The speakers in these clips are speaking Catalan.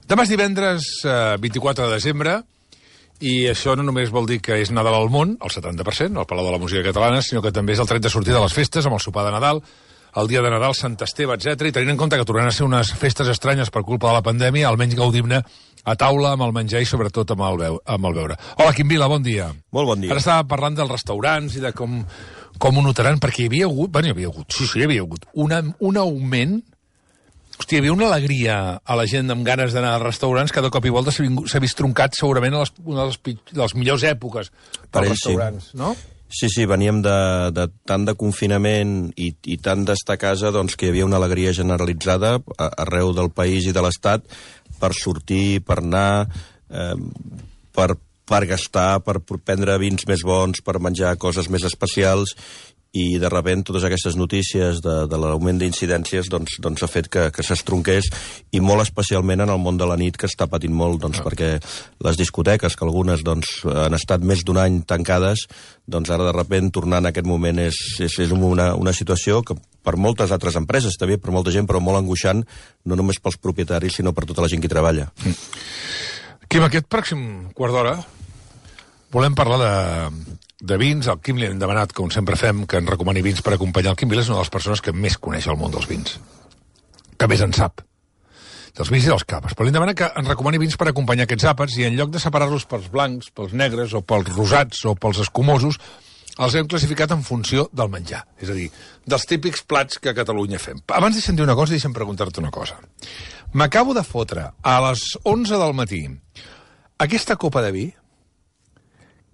Demà és divendres 24 de desembre i això no només vol dir que és Nadal al món, el 70%, al Palau de la Música Catalana, sinó que també és el tret de sortir de les festes amb el sopar de Nadal, el dia de Nadal, Sant Esteve, etc. I tenint en compte que tornaran a ser unes festes estranyes per culpa de la pandèmia, almenys gaudim-ne a taula amb el menjar i sobretot amb el beure. Hola, Quim Vila, bon dia. Molt bon dia. Ara estava parlant dels restaurants i de com ho notaran, perquè hi havia hagut un augment. Hòstia, hi havia una alegria a la gent amb ganes d'anar als restaurants que de cop i volta s'ha vist truncat segurament a una de les millors èpoques pels restaurants, no? Sí, veníem tant de confinament i tant d'estar a casa doncs, que hi havia una alegria generalitzada arreu del país i de l'Estat per sortir, per anar, per gastar, per prendre vins més bons, per menjar coses més especials, i de sobte totes aquestes notícies de l'augment d'incidències doncs ha fet que s'estronqués, i molt especialment en el món de la nit, que està patint molt, perquè les discoteques, que algunes han estat més d'un any tancades, doncs ara de sobte tornar en aquest moment és una situació que per moltes altres empreses, també per molta gent, però molt angoixant, no només pels propietaris, sinó per tota la gent que hi treballa. Quim, aquest pròxim quart d'hora volem parlar de vins. Al Quim li hem demanat, com sempre fem, que ens recomani vins per acompanyar. El Quim Vila és una de les persones que més coneix el món dels vins, que més en sap, dels vins i dels capes. Però li hem demanat que ens recomani vins per acompanyar aquests àpats, i en lloc de separar-los pels blancs, pels negres, o pels rosats, o pels escumosos, els hem classificat en funció del menjar. És a dir, dels típics plats que a Catalunya fem. Abans deixa'm dir una cosa, deixa'm preguntar-te una cosa. M'acabo de fotre a les 11 del matí aquesta copa de vi,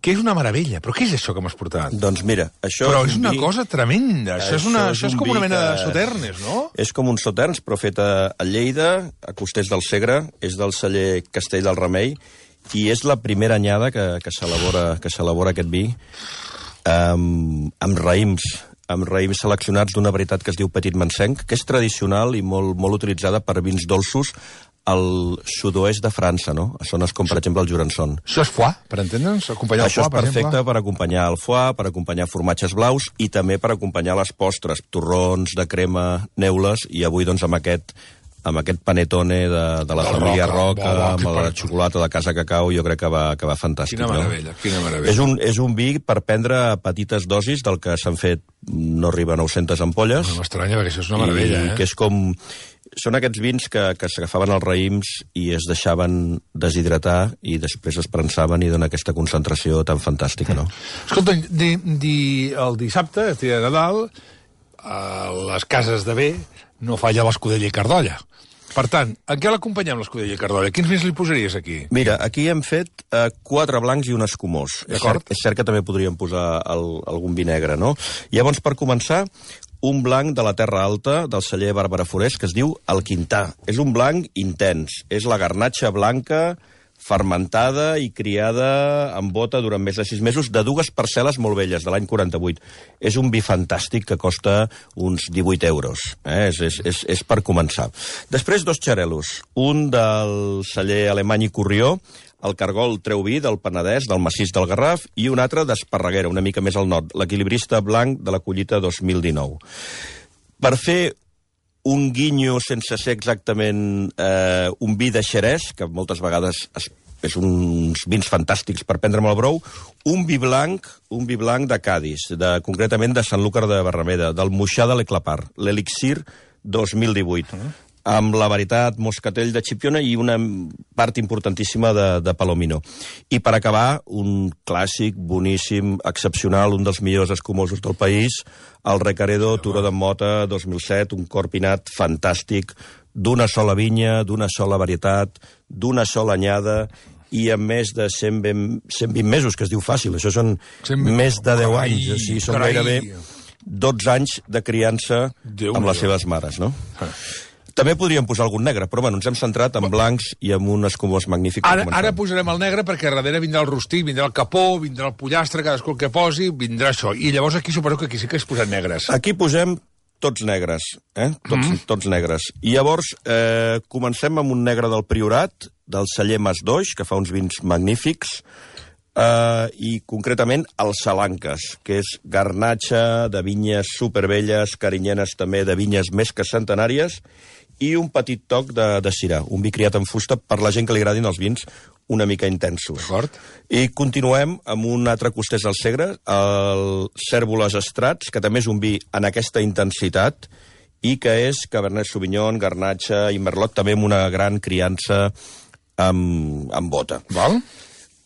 que és una meravella. Però què és això que m'has portat? Doncs mira, això però és una cosa tremenda. Això és com una mena de sauternes, no? És com un sauternes, però fet a Lleida, a Costers del Segre, és del celler Castell del Remei, i és la primera anyada que s'elabora aquest vi amb raïms seleccionats d'una varietat que es diu Petit Mansenc, que és tradicional i molt utilitzada per vins dolços al sud-oest de França, no? A zones com, per exemple, el Jurançon. Això és foie, per entendre'ns? Acompanyar el foie, per exemple? Això és perfecte per acompanyar el foie, per acompanyar formatges blaus i també per acompanyar les postres, torrons de crema, neules, i avui, doncs, amb aquest panetone de la família Roca, amb la xocolata de Casa Cacau, jo crec que va fantàstic. Quina meravella, quina meravella. És un vi per prendre a petites dosis, del que s'han fet no arriba a 900 ampolles. No m'estranya, perquè això és una meravella, que és com... Són aquests vins que s'agafaven els raïms i es deixaven deshidratar i després es prensaven i dona aquesta concentració tan fantàstica, no? Escolta, el dissabte, el dia de Nadal, a les cases de bé no falla l'escudella i cardolla. Per tant, en què l'acompanyem, l'escudella i cardolla? Quins vins li posaries aquí? Mira, aquí hem fet 4 blancs i un escumós. És cert que també podríem posar algun vi negre, no? Llavors, per començar, un blanc de la Terra Alta, del celler Bàrbara Forés, que es diu El Quintà. És un blanc intens. És la garnatxa blanca, fermentada i criada en bota durant més de 6 mesos, de 2 parcel·les molt velles, de l'any 48. És un vi fantàstic que costa uns 18 euros. És per començar. Després, 2 xarelos. Un del celler Alemany i Corrió, el Cargol Treu-Vi del Penedès, del massís del Garraf, i un altre d'Esparreguera, una mica més al nord, l'Equilibrista Blanc de la collita 2019. Per fer un guinyo sense ser exactament un vi de Xerès, que moltes vegades és uns vins fantàstics per prendre amb el brou, un vi blanc de Cádiz, concretament de Sanlúcar de Barrameda, del Moixà de l'Eclapar, l'Elixir 2018. Amb la varietat Moscatell de Chipiona i una part importantíssima de Palomino. I per acabar, un clàssic, boníssim, excepcional, un dels millors escumosos del país, el Recaredo Turó de Mota 2007, un corpinat fantàstic, d'una sola vinya, d'una sola varietat, d'una sola anyada, i amb més de 120 mesos, que es diu fàcil. Això són més de 10 anys, o sigui, són gairebé 12 anys de criança amb les seves mares, no? També podríem posar algun negre, però bueno, ens hem centrat en blancs i en un escumós magnífic. Ara posarem el negre perquè darrere vindrà el rostit, vindrà el capó, vindrà el pollastre, cadascú el que posi, vindrà això. I llavors aquí suposo que aquí sí que es posen negres. Aquí posem tots negres, tots negres. I llavors comencem amb un negre del Priorat, del celler Mas Doix, que fa uns vins magnífics, i concretament el Salanques, que és garnatxa de vinyes supervelles, carinyenes també de vinyes més que centenàries, i un petit toc de Syrah, un vi criat en fusta per la gent que li agradin els vins una mica intensos. D'acord. I continuem amb un altre costès del Segre, el Cérvoles Estrats, que també és un vi en aquesta intensitat, i que és Cabernet Sauvignon, Garnatxa i Merlot, també amb una gran criança amb bota. Val?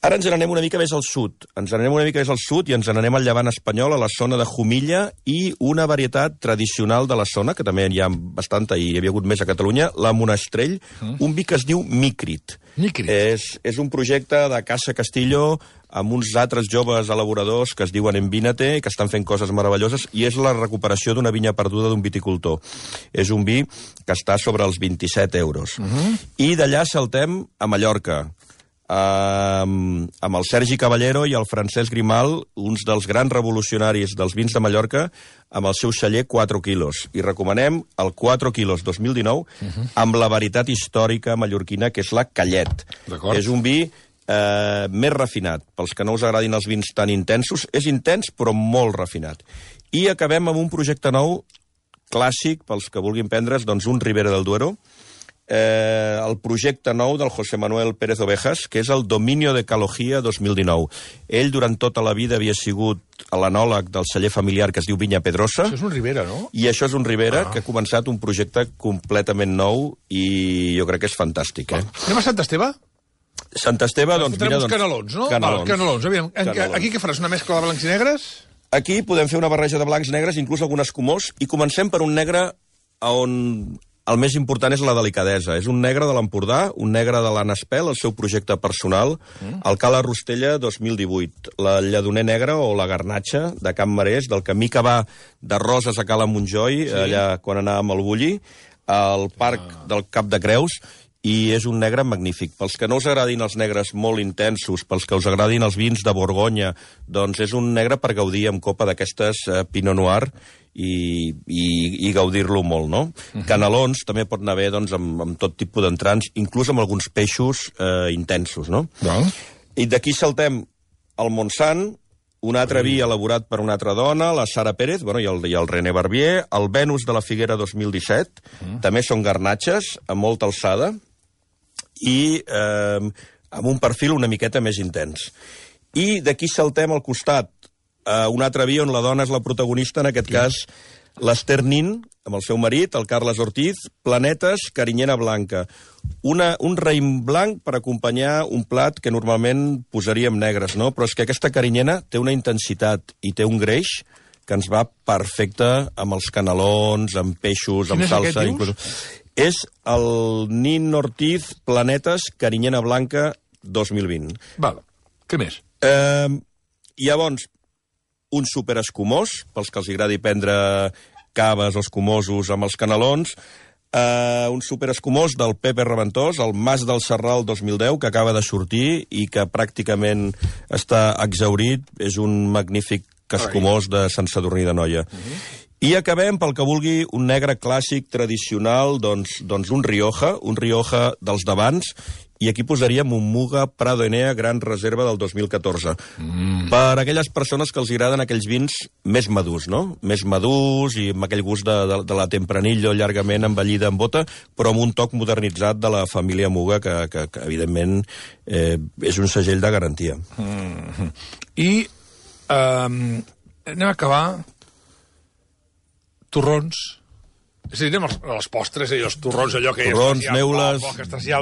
Ara ens n'anem una mica més al sud. Ens n'anem una mica més al sud i ens n'anem al llevant espanyol, a la zona de Jumilla, i una varietat tradicional de la zona, que també hi ha bastanta i hi havia hagut més a Catalunya, la Monastrell, un vi que es diu Micrit. Micrit. És un projecte de Casa Castillo amb uns altres joves elaboradors que es diuen Envínate, que estan fent coses meravelloses, i és la recuperació d'una vinya perduda d'un viticultor. És un vi que està sobre els 27 euros. I d'allà saltem a Mallorca, amb el Sergi Caballero i el Francesc Grimal, uns dels grans revolucionaris dels vins de Mallorca, amb el seu celler 4 quilos. I recomanem el 4 quilos 2019 amb la varietat històrica mallorquina, que és la Callet. És un vi més refinat. Pels que no us agradin els vins tan intensos, és intens però molt refinat. I acabem amb un projecte nou, clàssic, pels que vulguin prendre's, doncs un Ribera del Duero, el projecte nou del José Manuel Pérez Ovejas, que és el Dominio de Calogía 2019. Ell, durant tota la vida, havia sigut l'anòleg del celler familiar que es diu Vinya Pedrosa. Això és un Ribera, no? I això és un Ribera que ha començat un projecte completament nou i jo crec que és fantàstic. Anem a Sant Esteve? Sant Esteve, doncs, mira... Uns canelons, no? Canelons. Aviam, aquí què faràs? Una mescla de blancs i negres? Aquí podem fer una barreja de blancs, negres, inclús algun escumós, i comencem per un negre on el més important és la delicadesa. És un negre de l'Empordà, un negre de l'Anna Espel, el seu projecte personal, el Cala Rostella 2018, la Lledoner Negra o la Garnatxa de Can Marès, del camí que va de Roses a Cala Montjoi, allà quan anàvem al Bulli, al Parc del Cap de Creus, i és un negre magnífic. Pels que no us agradin els negres molt intensos, pels que us agradin els vins de Borgonya, doncs és un negre per gaudir amb copa d'aquestes Pinot Noir i gaudir-lo molt, no? Canelons també pot anar bé doncs, amb tot tipus d'entrants, inclús amb alguns peixos intensos, no? I d'aquí saltem al Montsant, un altre vi elaborat per una altra dona, la Sara Pérez, i el René Barbier, el Venus de la Figuera 2017, també són garnatxes, amb molta alçada, i amb un perfil una miqueta més intens. I d'aquí saltem al costat, un altre vi on la dona és la protagonista, en aquest cas l'Ester Nin, amb el seu marit, el Carles Ortiz, Planetes, Carinyena Blanca. Un raïm blanc per acompanyar un plat que normalment posaríem negres, no? Però és que aquesta carinyena té una intensitat i té un greix que ens va perfecte amb els canelons, amb peixos, amb salsa. És el Nin Ortiz Planetes Carinyena Blanca 2020. Val. Què més? Llavors, un superescumós, pels que els agradi prendre caves o escumosos amb els canelons, un superescumós del Pepe Reventós, el Mas del Serral 2010, que acaba de sortir i que pràcticament està exhaurit. És un magnífic escumós de Sant Sadurní d'Anoia. I acabem, pel que vulgui, un negre clàssic, tradicional, doncs un Rioja dels d'abans, i aquí posaríem un Muga Prado Enea Gran Reserva del 2014. Per aquelles persones que els agraden aquells vins més madurs, no? Més madurs i amb aquell gust de la Tempranillo llargament envellida en bota, però amb un toc modernitzat de la família Muga, que evidentment, és un segell de garantia. I anem a acabar torrons. És a dir, anem a les postres, els torrons, allò que torrons, neules,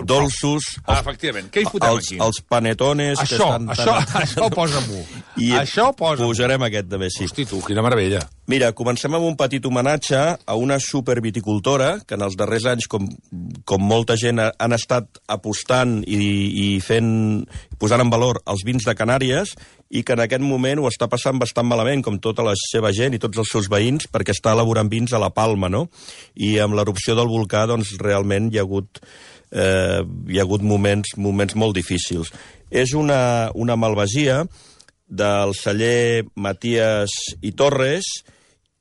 dolços... Efectivament. Què hi fotem aquí? Els panetones... Això posa-m'ho. Això posa-m'ho. Posarem aquest també, sí. Hosti, tu, quina meravella. Mira, comencem amb un petit homenatge a una superviticultora que en els darrers anys, com molta gent, han estat apostant i posant en valor els vins de Canàries, i que en aquest moment ho està passant bastant malament, com tota la seva gent i tots els seus veïns, perquè està elaborant vins a la Palma, no? I amb l'erupció del volcà, doncs, realment hi ha hagut moments molt difícils. És una malvasia del celler Matías i Torres,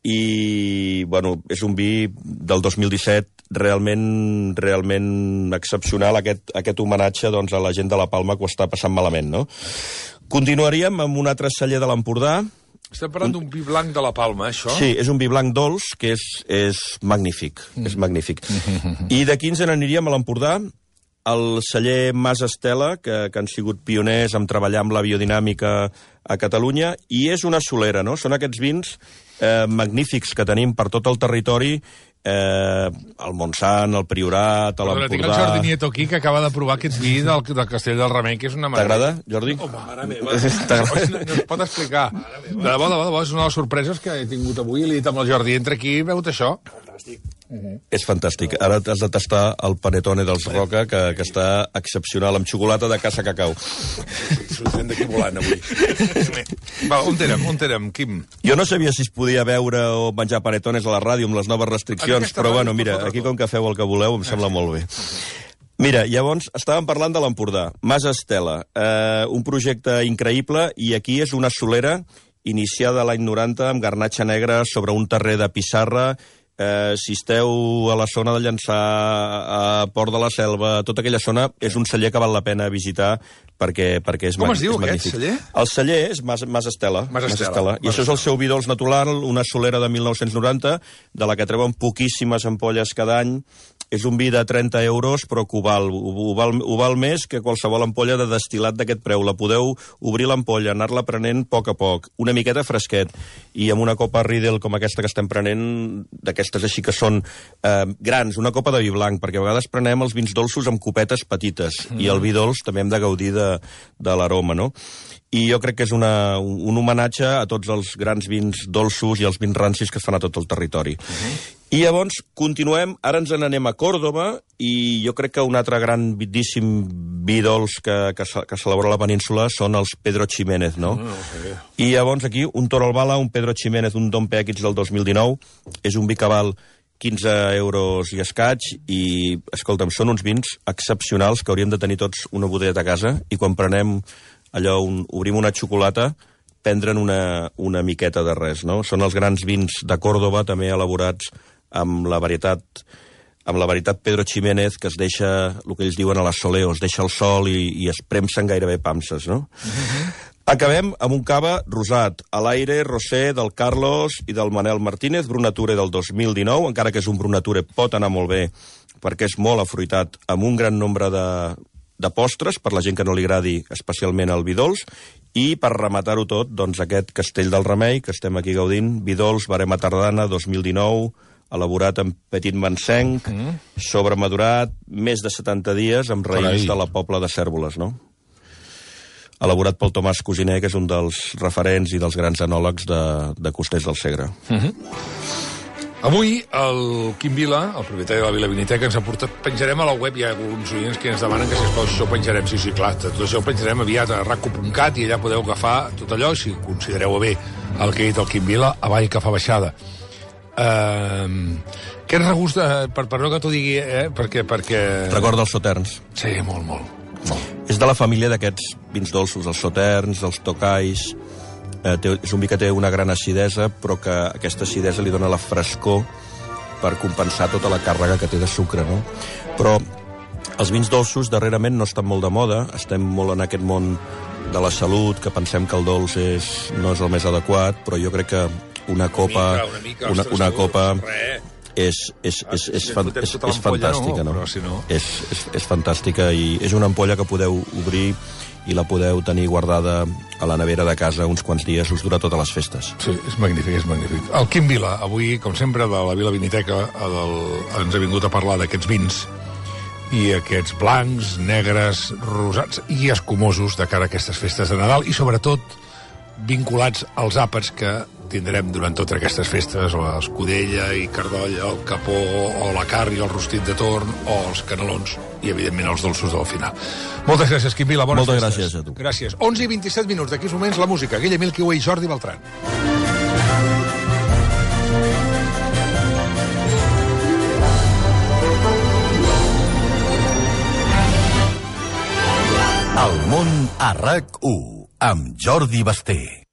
i, és un vi del 2017 realment excepcional, aquest homenatge a la gent de la Palma que ho està passant malament, no? Continuaríem amb un altre celler de l'Empordà, Estem parlant d'un vi blanc de la Palma, això? Sí, és un vi blanc dolç que és magnífic, és magnífic. I d'aquí ens n'aniríem a l'Empordà, el celler Mas Estela, que han sigut pioners en treballar amb la biodinàmica a Catalunya, i és una solera, no? Són aquests vins magnífics que tenim per tot el territori, el Montsant, el Priorat, l'Empordà... Tinc el Jordi Nieto aquí, que acaba de provar aquest vi del Castell del Remei, que és una meravella. T'agrada, Jordi? Home, mare meva. No es pot explicar. De debò, és una de les sorpreses que he tingut avui. Li he dit amb el Jordi, entra aquí, veus això? Fantàstic. És fantàstic. Ara has de tastar el panetone dels Roca, que està excepcional, amb xocolata de Casa Cacau. Sortim d'aquí volant, avui. Va, on érem, Quim? Jo no sabia si es podia veure o menjar panetones a la ràdio amb les noves restriccions, però bueno, mira, aquí com que feu el que voleu em sembla molt bé. Mira, llavors, estàvem parlant de l'Empordà. Mas Estela, un projecte increïble, i aquí és una solera iniciada l'any 90 amb garnatxa negra sobre un terrer de pissarra. Si esteu a la zona de Llançà, a Port de la Selva, tota aquella zona, és un celler que val la pena visitar perquè és magnífic. Com es diu aquest celler? El celler és Mas Estela. I això és el seu vi dolç natural, una solera de 1990, de la que treuen poquíssimes ampolles cada any. És un vi de 30 euros, però que ho val més que qualsevol ampolla de destil·lat d'aquest preu. La podeu obrir l'ampolla, anar-la prenent a poc, una miqueta fresquet, i amb una copa Riedel com aquesta que estem prenent, d'aquestes així que són grans, una copa de vi blanc, perquè a vegades prenem els vins dolços amb copetes petites, i el vi dolç també hem de gaudir de l'aroma, no? I jo crec que és un homenatge a tots els grans vins dolços i els vins rancis que es fan a tot el territori. I llavors continuem, ara ens n'anem a Còrdova, i jo crec que un altre grandíssim vi dolç que s'elabora a la península són els Pedro Ximénez, no? I llavors aquí un Toro Albala, un Pedro Ximénez, un Dom Pèquits del 2019, és un vi que val 15 euros i escaig, i, escolta'm, són uns vins excepcionals que hauríem de tenir tots una botella a casa, i quan prenem allò, obrim una xocolata, prendre'n una miqueta de res, no? Són els grans vins de Còrdova, també elaborats amb la varietat Pedro Ximénez, que es deixa, el que ells diuen a la soleo, es deixa el sol i es premsen gairebé panses, no? Acabem amb un cava rosat, a l'aire, rosé, del Carlos i del Manel Martínez, Brunature del 2019, encara que és un Brunature pot anar molt bé, perquè és molt afruitat, amb un gran nombre de postres, per la gent que no li agradi especialment el vi dolç, i per rematar-ho tot, doncs aquest Castell del Remei, que estem aquí gaudint, vi dolç, barema tardana, 2019, elaborat en petit mansenc, sobremadurat, més de 70 dies, amb raïms de la Pobla de Cérvoles, no? Elaborat pel Tomàs Cosiner, que és un dels referents i dels grans enòlegs de Costers del Segre. Avui el Quim Vila, el propietari de la Vila Viniteca, ens ha portat... Penjarem a la web, hi ha alguns oients que ens demanen que, sisplau, això ho penjarem. Sí, clar, tot això ho penjarem aviat a rac.cat, i allà podeu agafar tot allò, si considereu bé el que ha dit el Quim Vila, avall que fa baixada. Què et regusta, per no que t'ho digui, perquè... Recorda els Sauternes. Sí, molt. És de la família d'aquests vins dolços, els Sauternes, els Tocais. És un vi que té una gran acidesa, però que aquesta acidesa li dona la frescor per compensar tota la càrrega que té de sucre, no? Però els vins dolços darrerament no estan molt de moda, estem molt en aquest món de la salut, que pensem que el dolç no és el més adequat, però jo crec que una copa és fantàstica, no? És fantàstica, i és una ampolla que podeu obrir i la podeu tenir guardada a la nevera de casa uns quants dies, us dura totes les festes. Sí, és magnífic. El Quim Vila, avui, com sempre, de la Vila Viniteca, ens ha vingut a parlar d'aquests vins i aquests blancs, negres, rosats i escumosos de cara a aquestes festes de Nadal, i sobretot vinculats als àpats que tindrem durant totes aquestes festes, l'escudella i cardolla, el capó, o la carn i el rostit de torn, o els canelons, i evidentment els dolços del final. Moltes gràcies, Quim Vila, bones festes. Moltes gràcies a tu. Gràcies. 11 i 27 minuts, d'aquí uns moments la música. Guille Milquiu i Jordi Beltran. El món a RAC1, amb Jordi Basté.